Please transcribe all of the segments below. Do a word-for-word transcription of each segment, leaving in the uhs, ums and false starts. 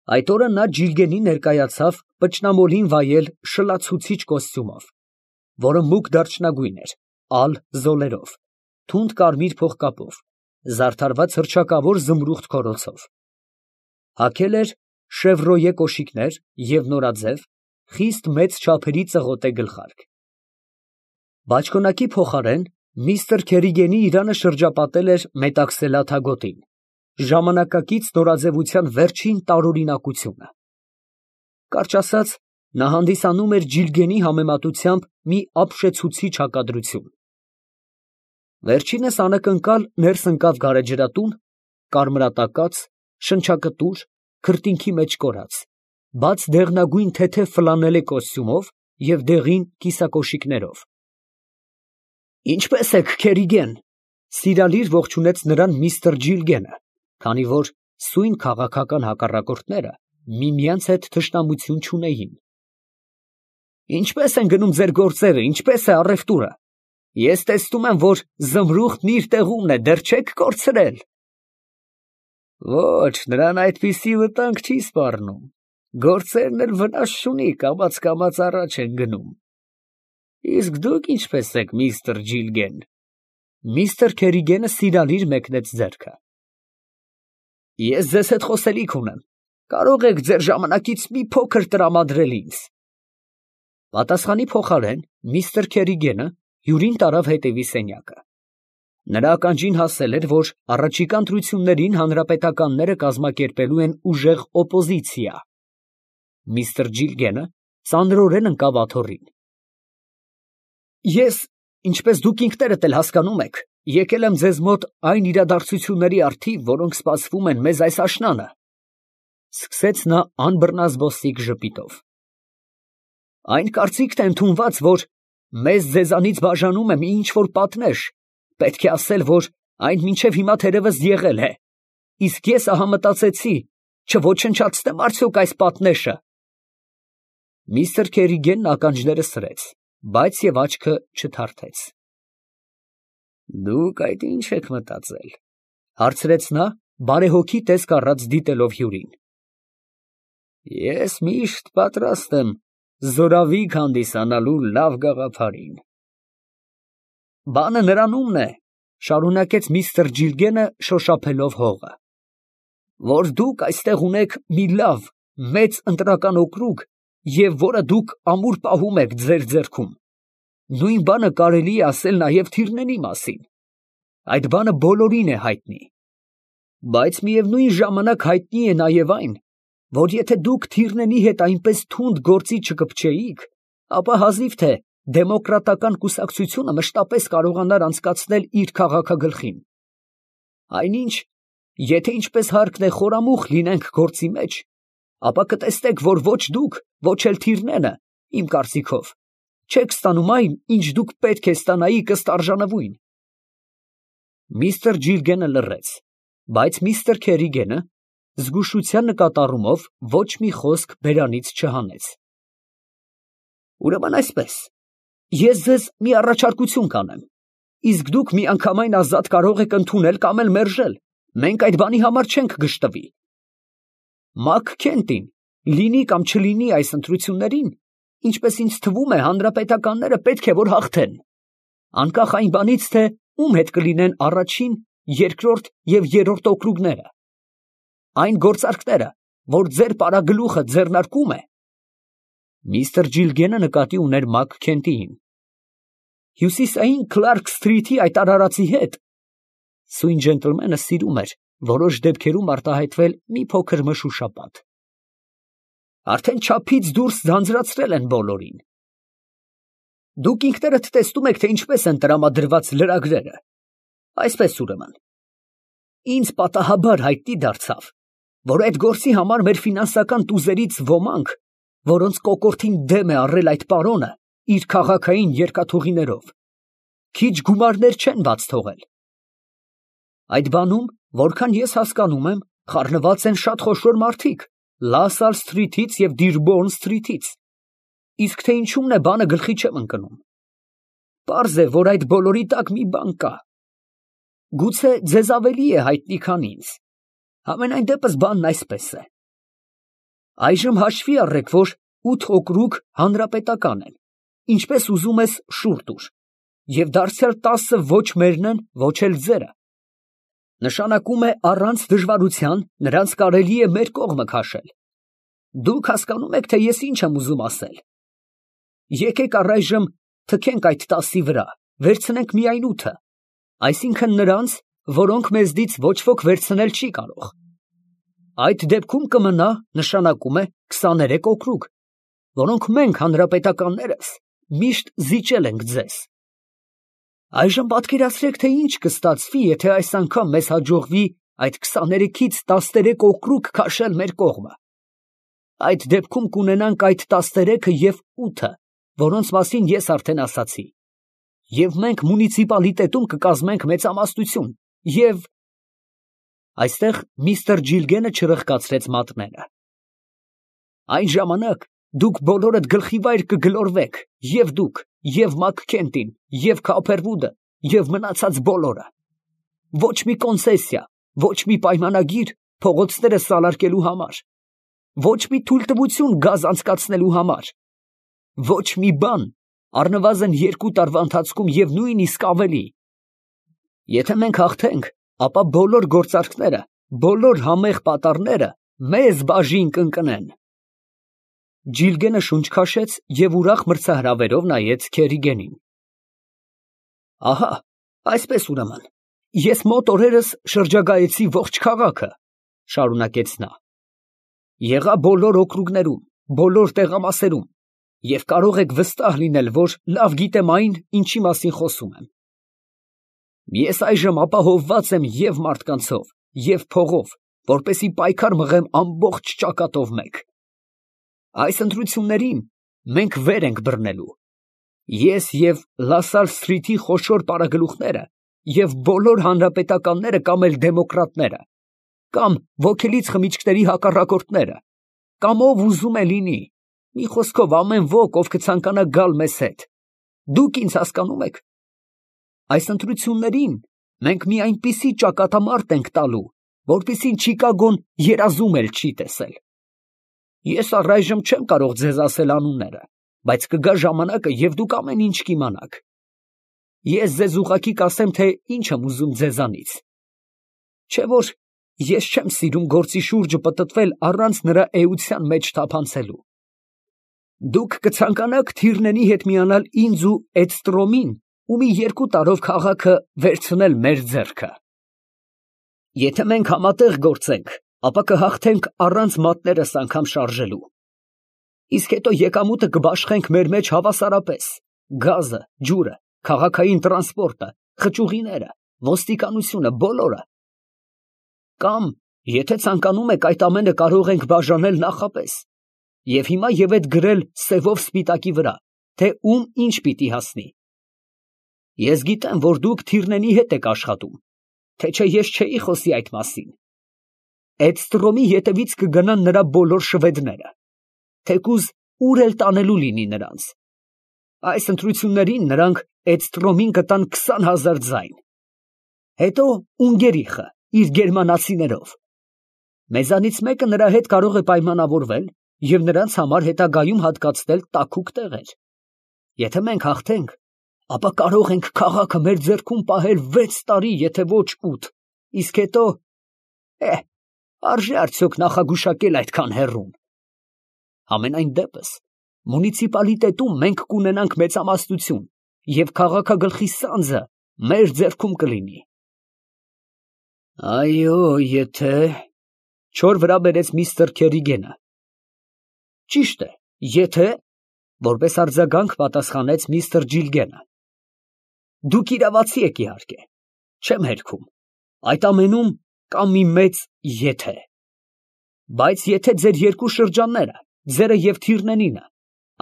Այդ օրը նա Ջիլգենին ներկայացավ պճնամոլին վայել շլացուցիչ կոստյումով, որը մուգ դարչնագույն էր, ալ զոլերով, թունդ կարմիր փողկապով, զարդարված հռչակավոր զմրուխտ քորոցով. հագել էր շևրոյե կոշիկներ և նորաձև, խիստ մեծ չափերի ծղոտե գլխարկ։ Բաճկոնակի փոխարեն միստր Քերիգենի իրանը շրջապատել էր մետաքսելաթագոտին, ժամանակակից նորաձևության վերջին տարօրինակությունը։ Կարճ ասած, նա հանդիսանում էր Ջիլգենի համեմատությամբ մի ապշեցուցիչ հակադրություն։ Վերջինս անակնկալ ներս ընկավ գարեջրատուն, կարմրատակած, շնչակտուր, քրտինքի մեջ կորած, բաց դեղնագույն թեթև ֆլանելե կոստյումով և դեղին կիսակոշիկներով։ ֊ Ինչպե՞ս եք, Քերիգեն, ֊ սիրալիր ողջունեց նրան միստր Ջիլգենը, քանի որ սույն քաղաքական հակառակորդները միմյանց հետ թշնամություն չունեին։ ֊ Ինչպե՞ս են գնում ձեր գործերը, ինչպե՞ս է առևտուրը. ես տեսնում եմ, որ զմրուխտն իր տեղումն է, դեռ չե՞ք կորցրել։ ֊ Ոչ, նրան այդպիսի վտանգ չի սպառնում, գործերն էլ վնաս չունի, կամաց֊կամաց առաջ են գնում։ Իսկ դուք ինչպե՞ս եք, միստր Ջիլգեն։ Միստր Քերիգենը սիրալիր մեկնեց ձեռքը։ Ես ձեզ հետ խոսելիք ունեմ, կարող եք ձեր ժամանակից մի փոքր տրամադրել ինձ։ Պատասխանի փոխարեն միստր Քերիգենը հյուրին տարավ հետևի սենյակը։ Նրա ականջին հասել էր, որ առաջիկա ընտրություններին հանրապետականները կազմակերպելու են ուժեղ օպոզիցիա։ Միստր Ջիլգենը ծանրորեն ընկավ աթոռին։ Ես, ինչպես դուք ինքներդ էլ հասկանում եք, եկել եմ ձեզ մոտ այն իրադարձությունների առթիվ, որոնք սպասվում են մեզ այս աշնանը, ֊ սկսեց նա անբռնազբոսիկ ժպիտով։ Այն կարծիքն է ընդունված, որ մեզ ձեզանից բաժանում է մի ինչ֊որ պատնեշ, պետք է ասել, որ այն մինչև հիմա թերևս եղել է, իսկ ես ահա մտածեցի, չոչնչացնեմ արդյոք այս պատնեշը։ Միստր Քերիգենն ականջները սրեց, բայց և աչքը չթարթեց։ Դուք այդ ի՞նչ եք մտածել, ֊ հարցրեց նա, բարեհոգի տեսք առած դիտելով հյուրին։ Ես միշտ պատրաստ եմ զորավիգ հանդիսանալու լավ գաղափարին։ Բանը նրանումն է, ֊ շարունակեց միստր Ջիլգենը, շոշափելով հողը, որ դուք այստեղ ունեք մի լավ, մեծ ընտրական օկրուգ, և որը դուք ամուր պահում եք ձեր ձեռքում։ Նույն բանը կարելի է ասել նաև Թիրնենի մասին։ Այդ բանը բոլորին է հայտնի։ Բայց միևնույն ժամանակ հայտնի է նաև այն, որ եթե դուք Թիրնենի հետ այնպես թունդ գործի չկպչեիք, ապա հազիվ թե դեմոկրատական կուսակցությունը մշտապես կարողանար անցկացնել իր քաղաքագլխին։ Այնինչ, եթե ինչպես հարկն է խորամուխ լինենք գործի մեջ, ապա կտեսնեք, որ ոչ դուք, ոչ էլ Թիրնենը, իմ կարծիքով, չեք ստանում այն, ինչ դուք պետք է ստանայիք ըստ արժանվույն։ Միստր Ջիլգենը լռեց, բայց միստր Քերիգենը զգուշության նկատառումով ոչ մի խոսք բերանից չհանեց։ Ուրեմն այսպես, ես ձեզ մի առաջարկություն կանեմ, իսկ դուք միանգամայն ազատ կարող եք ընդունել կամ էլ մերժել, մենք այդ բանի համար չենք գժտվի։ Մակ Քենտին, լինի կամ չլինի այս ընտրություններին, ինչպես ինձ թվում է, հանրապետականները պետք է որ հաղթեն, անկախ այն բանից, թե ում հետ կլինեն առաջին, երկրորդ և երրորդ օկրուգները։ Այն գործարքները, որ ձեր պարագլուխը ձեռնարկում է։ Միստր Ջիլգենը նկատի ուներ Մակ Քենտիին։ Հյուսիսային Քլարք Սթրիթի այդ արարածի հետ (սույն ջենտլմենը սիրում էր որոշ դեպքերում արտահայտվել մի փոքր մշուշապատ) արդեն չափից դուրս ձանձրացրել են բոլորին։ Դուք ինքներդ տեսնում եք, թե ինչպես են տրամադրված լրագրերը։ Այսպես ուրեմն, ինձ պատահաբար հայտնի դարձավ, որ այդ գործի համար մեր ֆինանսական տուզերից ոմանք, որոնց կոկորդին դեմ է առել այդ պարոնը իր քաղաքային երկաթուղիներով, քիչ գումարներ չեն բաց թողել։ Այդ բանում, որքան ես հասկանում եմ, խառնված են շատ խոշոր մարդիկ Լասալ Սթրիթից և Դիրբոուրն Սթրիթից, իսկ թե ինչումն է բանը գլխի չեմ ընկնում։ Պարզ է, որ այդ բոլորի տակ մի բան կա։ Գուցե ձեզ ավելի է հայտնի, քան ինձ։ Համենայն դեպս բանն այսպես է։ Այժմ հաշվի առեք, որ ութ օկրուգ հանրապետական են, ինչպես ուզում ես շուռ տուր, և դարձյալ տասը ոչ մերն են, ոչ էլ ձերը. նշանակում է առանց դժվարության նրանց կարելի է մեր կողմը քաշել. դուք հասկանում եք, թե ես ինչ եմ ուզում ասել. եկեք առայժմ թքենք այդ տասի վրա, վերցնենք միայն ութը, այսինքն նրանց, որոնք մեզնից ոչ ոք վերցնել չի կարող. այդ դեպքում կմնա, նշանակում է քսաներեք օկրուգ, որոնք մենք հանրապետականներս միշտ զիջել ենք ձեզ. այժմ պատկերացրեք, թե ինչ կստացվի, եթե այս անգամ մեզ հաջողվի այդ քսաներեքից տասներեք օկրուգ քաշել մեր կողմը. այդ դեպքում կունենանք այդ տասներեքը և ութը, որոնց մասին ես արդեն ասացի, և մենք մունիցիպալիտետում կկազմենք մեծամասնություն, և… Այստեղ միստր Ջիլգենը չրխկացրեց մատները. այն ժամանակ դուք բոլորդ գլխիվայր կգլորվեք, և դուք, և Մաքքենթին, և Քոփերվուդը, և մնացած բոլորը. ոչ մի կոնցեսիա, ոչ մի պայմանագիր փողոցները սալարկելու համար, ոչ մի թույլտվություն գազ անցկացնելու համար, ոչ մի բան, առնվազն երկու տարվա ընթացքում և նույնիսկ ավելի. եթե մենք հաղթենք, ապա բոլոր գործարքները, բոլոր համեղ պատառները մեզ բաժին կընկնեն։ Ջիլգենը շունչ քաշեց և ուրախ մրցահրավերով նայեց Քերիգենին։ Ահա, այսպես ուրեմն, ես մոտ օրերս շրջագայեցի ողջ քաղաքը, շարունակեց նա. եղա բոլոր օկրուգներում, բոլոր տեղամասերում, և կարող եք վստահ լինել, որ լավ գիտեմ այն, ինչի մասին խոսում եմ։ Ես այժմ ապահովված եմ և մարդկանցով, և փողով, որպեսզի պայքար մղեմ ամբողջ ճակատով մեկ։ Այս ընտրություններին մենք վեր ենք բռնելու։ Ես և Լասալ Սթրիթի խոշոր պարագլուխները և բոլոր հանրապետականները կամ էլ դեմոկրատները, կամ ոգելից խմիչքների հակառակորդները, կամ ով ուզում է լինի, մի խոսքով ամեն ոք, ով կցանկանա գալ մեզ հետ, դուք ինձ հասկանում եք։ Այս ընտրություններին մենք մի այնպիսի ճակատամարտ ենք տալու, որպեսզի Չիկագոն երազում էլ չի տեսել։ Ես առայժմ չեմ կարող ձեզ ասել անունները, բայց կգա ժամանակը, և դուք ամեն ինչ կիմանաք։ Ես ձեզ ուղղակի կասեմ, թե ինչ եմ ուզում ձեզանից։ Չէ՞ որ ես չեմ սիրում գործի շուրջը պտտվել առանց նրա էության մեջ թափանցելու։ Դուք կցանկանաք Թիրնենի հետ միանալ ինձ ու Էդստրոմին ու մի երկու տարով քաղաքը վերցնել մեր ձեռքը։ Եթե մենք համատեղ գործենք, ապա կհաղթենք առանց մատներս անգամ շարժելու։ Իսկ հետո եկամուտը կբաշխենք մեր մեջ հավասարապես, գազը, ջուրը, քաղաքային տրանսպորտը, խճուղիները, ոստիկանությունը, բոլորը։ Կամ, եթե ցանկանում եք, այդ ամենը կարող ենք բաժանել նախապես, և հիմա և այդ գրել սևով սպիտակի վրա, թե ում ինչ պիտի հասնի։ Ես գիտեմ, որ դուք Թիրնենի հետ եք աշխատում, թե չէ ես չէի խոսի այդ մասին։ Էդստրոմի ետևից կգնան նրա բոլոր շվեդները, թեկուզ ուր էլ տանելու լինի նրանց։ Այս ընտրություններին նրանք Էդստրոմին կտան քսան հազար ձայն։ Հետո Ունգերիխը իր գերմանացիներով։ Մեզանից մեկը նրա հետ կարող է պայմանավորվել և նրանց համար հետագայում հատկացնել տաքուկ տեղեր։ Եթե մենք հաղթենք, ապա կարող ենք քաղաքը մեր ձեռքում պահել վեց տարի, եթե ոչ ութ, իսկ հետո… Է, արժե՞ արդյոք նախագուշակել այդքան հեռուն։ Համենայն դեպս, մունիցիպալիտետում մենք կունենանք մեծամասնություն, և քաղաքագլխի սանձը մեր ձեռքում կլինի։ Այո, եթե… Չոր վրա բերեց միստր Քերիգենը։ Ճիշտ է, եթե… որպես արձագանք պատասխանեց միստր Ջիլգենը։ Դուք իրավացի եք, իհարկե, չեմ հերքում, այդ ամենում կա մի մեծ եթե։ Բայց եթե ձեր երկու շրջանները, ձերը և Թիրնենինը,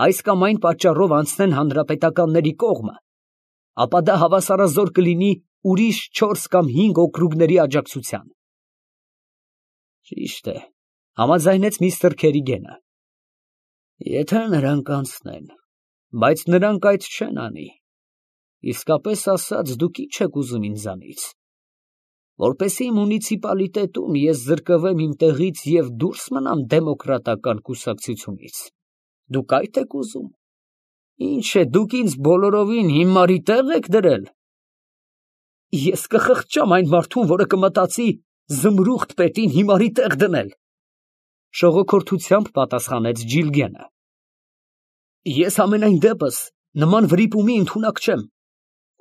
այս կամ այն պատճառով անցնեն հանրապետականների կողմը, ապա դա հավասարազոր կլինի ուրիշ չորս կամ հինգ օկրուգների աջակցության։ Ճիշտ է, համաձայնեց միստր Քերիգենը։ Եթե նրանք անցնեն, բայց նրանք այդ չեն անի, իսկապես ասած, դուք ի՞նչ եք ուզում ինձանից։ որպեսզի մունիցիպալիտետում ես զրկվեմ իմ տեղից և դուրս մնամ դեմոկրատական կուսակցությունից, դուք այդ եք ուզում։ Ինչ է, դուք ինձ բոլորովին հիմարի տեղ եք դրել։ Ես կխղճամ այն մարդուն, որը կմտածի զմրուղտ պետին հիմարի տեղ դնել, շողոքորթությամբ պատասխանեց Ջիլգենը։ Ես ամենայն դեպս նման վրիպումի ընդունակ չեմ։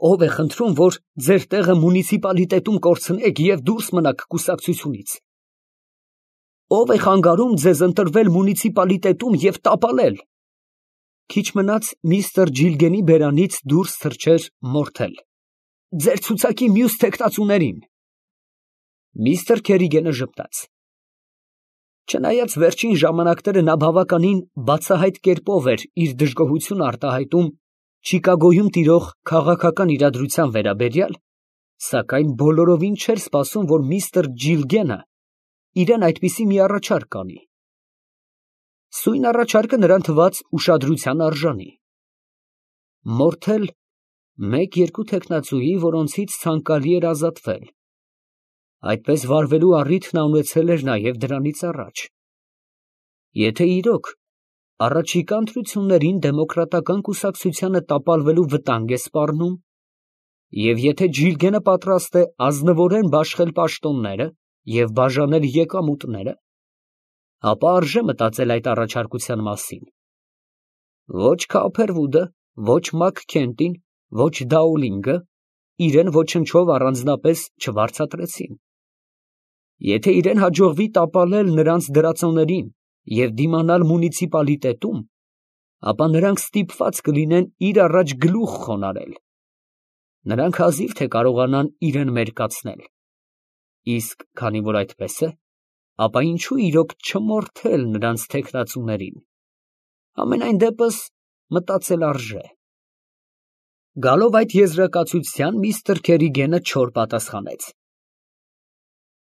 Ով է խնդրում, որ ձեր տեղը մունիցիպալիտետում կորցնեք և դուրս մնաք կուսակցությունից։ Ով է խանգարում ձեզ ընտրվել մունիցիպալիտետում և տապալել։ Քիչ մնաց միստր Ջիլգենի բերանից դուրս թռչեր Մորթել։ Ձեր ցուցակի մյուս թեկնածուներին։ Միստր Քերիգենը ժպտաց։ Չնայած վերջին ժամանակները նա բավականին բացահայտ կերպով էր իր դժգոհությունը արտահայտում Չիկագոյում տիրող քաղաքական իրադրության վերաբերյալ, սակայն բոլորովին չէր սպասում, որ միստր Ջիլգենը իրան այդպիսի մի առաջարկ անի։ Սույն առաջարկը նրան թվաց ուշադրության արժանի։ Մորթել մեկ֊երկու թեկնածուի, որոնցից ցանկալի էր ազատվել։ Այդպես վարվելու առիթ նա ունեցել էր նաև դրանից առաջ։ Եթե իրոք առաջիկա ընտրություններին դեմոկրատական կուսակցությանը տապալվելու վտանգ է սպառնում, և եթե Ջիլգենը պատրաստ է ազնվորեն բաշխել պաշտոնները և բաժանել եկամուտները, ապա արժե մտածել այդ առաջարկության մասին։ Ոչ Քոփերվուդը, ոչ Մաքքենթին, ոչ Դաուլինգը իրեն ոչնչով առանձնապես չվարձատրեցին։ Եթե իրեն հաջողվի տապալել նրանց դրածոներին և դիմանալ մունիցիպալիտետում, ապա նրանք ստիպված կլինեն իր առաջ գլուխ խոնարհել։ Նրանք հազիվ թե կարողանան իրեն մերկացնել։ Իսկ քանի որ այդպես է, ապա ինչո՞ւ իրոք չմորթել նրանց թեկնածուներին։ Համենայն դեպս մտածել արժե։ Գալով այդ եզրակացության, միստր Քերիգենը չոր պատասխանեց։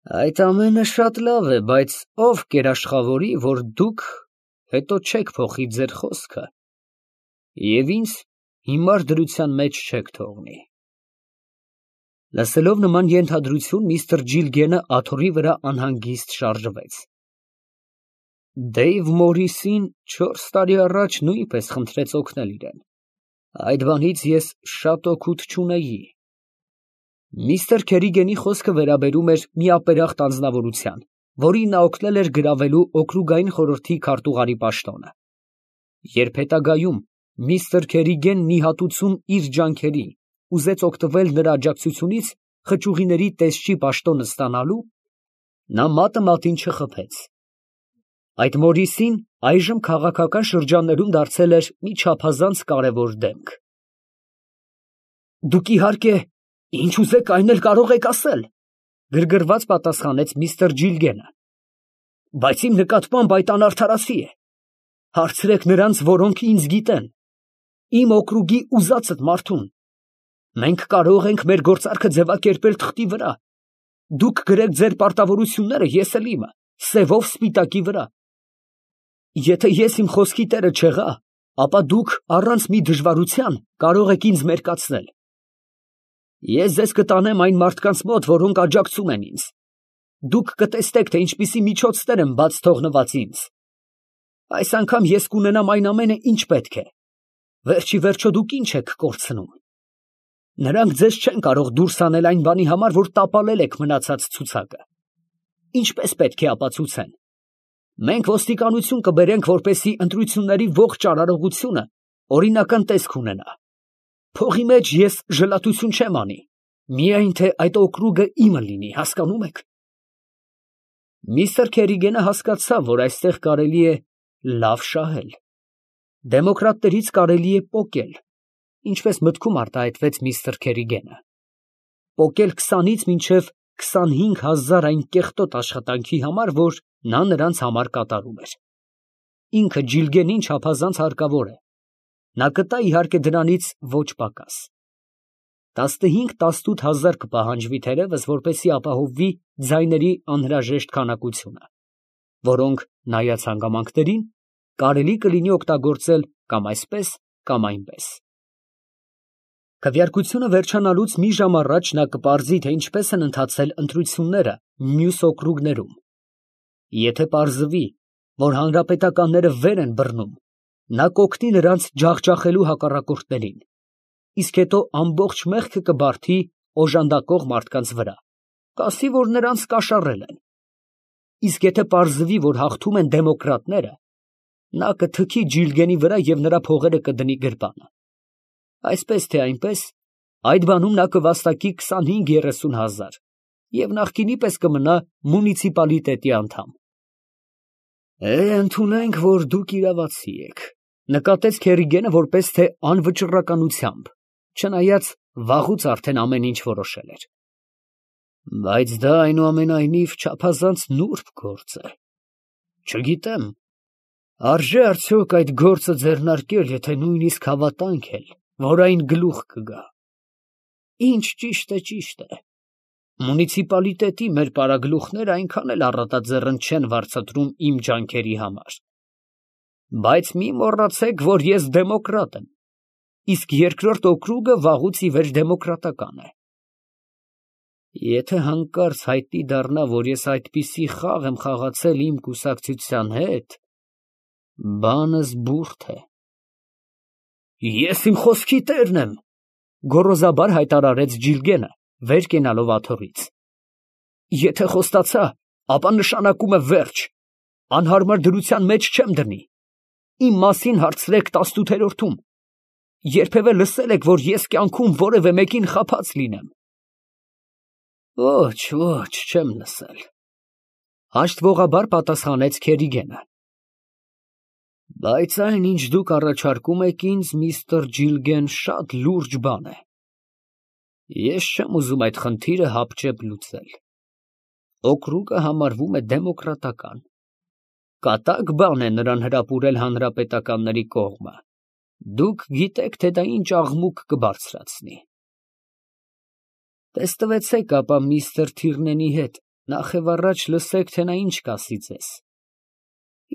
Այդ ամենը շատ լավ է, բայց ով կերաշխավորի, որ դուք հետո չեք փոխի ձեր խոսքը և ինձ հիմար դրության մեջ չեք թողնի։ Լսելով նման ենթադրություն, միստր Ջիլգենը աթոռի վրա անհանգիստ շարժվեց։ Դեյվ Մորիսին չորս տարի առաջ նույնպես խնդրեց օգնել իրեն։ Այդ բանից ես շատ օգուտ չունեի։ Միստր Քերիգենի խոսքը վերաբերում էր միապերախտ անձնավորության, որին նա օգնել էր գրավելու օկրուգային խորհրդի քարտուղարի պաշտոնը։ Երբ հետագայում միստր Քերիգենն ի հատուցում իր ջանքերի ուզեց օգտվել նրա աջակցությունից խճուղիների տեսչի պաշտոնը ստանալու, նա մատը մատին չխփեց։ Այդ Մորիսին այժմ քաղաքական շրջաններում դարձել էր մի չափազանց կարևոր դեմք։ Դուք իհարկե ինչ ուզեք այն էլ կարող եք ասել, գրգռված պատասխանեց միստր Ջիլգենը, բայց իմ նկատմամբ այդ անարդարացի է։ Հարցրեք նրանց, որոնք ինձ գիտեն, իմ օկրուգի ուզածդ մարդուն։ Մենք կարող ենք մեր գործարքը ձևակերպել թղթի վրա։ Դուք գրեք ձեր պարտավորությունները, ես էլ իմը, սևով սպիտակի վրա։ Եթե ես իմ խոսքի տերը չեղա, ապա դուք առանց մի դժվարության կարող եք ինձ մերկացնել։ Ես ձեզ կտանեմ այն մարդկանց մոտ, որոնք աջակցում են ինձ։ Դուք կտեսնեք, թե ինչպիսի միջոցներ եմ բաց թողնված ինձ։ Այս անգամ ես կունենամ այն ամենը, ինչ պետք է։ Վերջի վերջո դուք ինչ եք կորցնում։ Նրանք ձեզ չեն կարող դուրս անել այն բանի համար, որ տապալել եք մնացած ցուցակը։ Ինչպես պետք է ապացուցեն։ Մենք ոստիկանություն կբերենք, որպեսզի ընտրությունների ողջ արարողությունը օրինական տեսք ունենա։ Փողի մեջ ես ժլատություն չեմ անի, միայն թե այդ օկրուգը իմը լինի, հասկանում եք։ Միստր Քերիգենը հասկացավ, որ այստեղ կարելի է լավ շահել։ Դեմոկրատներից կարելի է պոկել, ինչպես մտքում արտահայտվեց միստր Քերիգենը։ Պոկել քսանից մինչև քսանհինգ հազար այն կեղտոտ աշխատանքի համար, որ նա նրանց համար կատարում էր։ Ինքը Ջիլգենին չափազանց հարկավոր է։ Նա կտա իհարկե դրանից ոչ պակաս։ Տասնհինգ տասնութ հազար կպահանջվի թերևս, որպեսզի ապահովվի ձայների անհրաժեշտ քանակությունը, որոնք, նայած հանգամանքներին, կարելի կլինի օգտագործել կամ այսպես, կամ այնպես։ Քվեարկությունը վերջանալուց մի ժամ առաջ նա կպարզի, թե ինչպես են ընթացել ընտրությունները մյուս օկրուգներում։ Եթե պարզվի, որ հանրապետականները վեր են բռնում, նա կօգնի նրանց ջախջախելու հակառակորդներին, իսկ հետո ամբողջ մեղքը կբարդի օժանդակող մարդկանց վրա, կասի, որ նրանց կաշառել են։ Իսկ եթե պարզվի, որ հաղթում են դեմոկրատները, նա կթքի Ջիլգենի վրա և նրա փողերը կդնի գրպանը։ Այսպես թե այնպես, այդ բանում նա կվաստակի քսանհինգ֊երեսուն հազար և նախկինի պես կմնա մունիցիպալիտետի անդամ։ Է, ընդունենք, որ դուք իրավացի եք, նկատեց Քերիգենը որպես թե անվճռականությամբ, չնայած վաղուց արդեն ամեն ինչ որոշել էր։ Բայց դա այնուամենայնիվ չափազանց նուրբ գործ է։ Չգիտեմ, արժե արդյոք այդ գործը ձեռնարկել, եթե նույնիսկ հավատանք էլ, որ այն գլուխ կգա։ Ինչ ճիշտ է, ճիշտ է։ Մունիցիպալիտետի մեր պարագլուխները այնքան էլ առատաձեռն չեն վարձատրում իմ ջանքերի համար։ Բայց մի մոռացեք, որ ես դեմոկրատ եմ, իսկ երկրորդ օկրուգը վաղուց ի վեր դեմոկրատական է։ Եթե հանկարծ հայտնի դառնա, որ ես այդպիսի խաղ եմ խաղացել իմ կուսակցության հետ, բանս բուրդ է։ Ես իմ խոսքի տերն եմ, գոռոզաբար հայտարարեց Ջիլգենը, վեր կենալով աթոռից։ Եթե խոստացա, ապա նշանակում է վերջ, անհարմար դրության մեջ չեմ դնի։ Իմ մասին հարցրեք տասնութերորդում։ Երբևէ լսել եք, որ ես կյանքում որևէ մեկին խաբած լինեմ։ Ոչ, ոչ, չեմ լսել, հաշտվողաբար պատասխանեց Քերիգենը։ Բայց այն, ինչ դուք առաջարկում եք ինձ, միստր Ջիլգեն, շատ լուրջ բան է։ Ես չեմ ուզում այդ խնդիրը հապճեպ լուծել։ Օկրուգը համարվում է դեմոկրատական։ Կատակ բան է նրան հրապուրել հանրապետականների կողմը։ Դուք գիտեք, թե դա ինչ աղմուկ կբարձրացնի։ Տեստվեցեք ապա միստր Թիրնենի հետ, նախևառաջ լսեք, թե նա ինչ կասի ձեզ։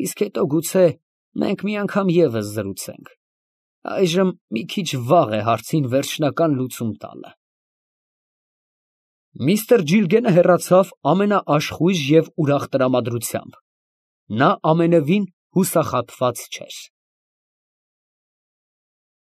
Իսկ հետո գուցե մենք մի անգամ ևս զրուցենք։ Այժմ մի քիչ վաղ է հարցին վերջնական լուծում տալը։ Միստր Ջիլգենը հեռացավ ամենաաշխույժ և ուրախ տրամադրությամբ։ Նա ամենևին հուսախաբված չէր։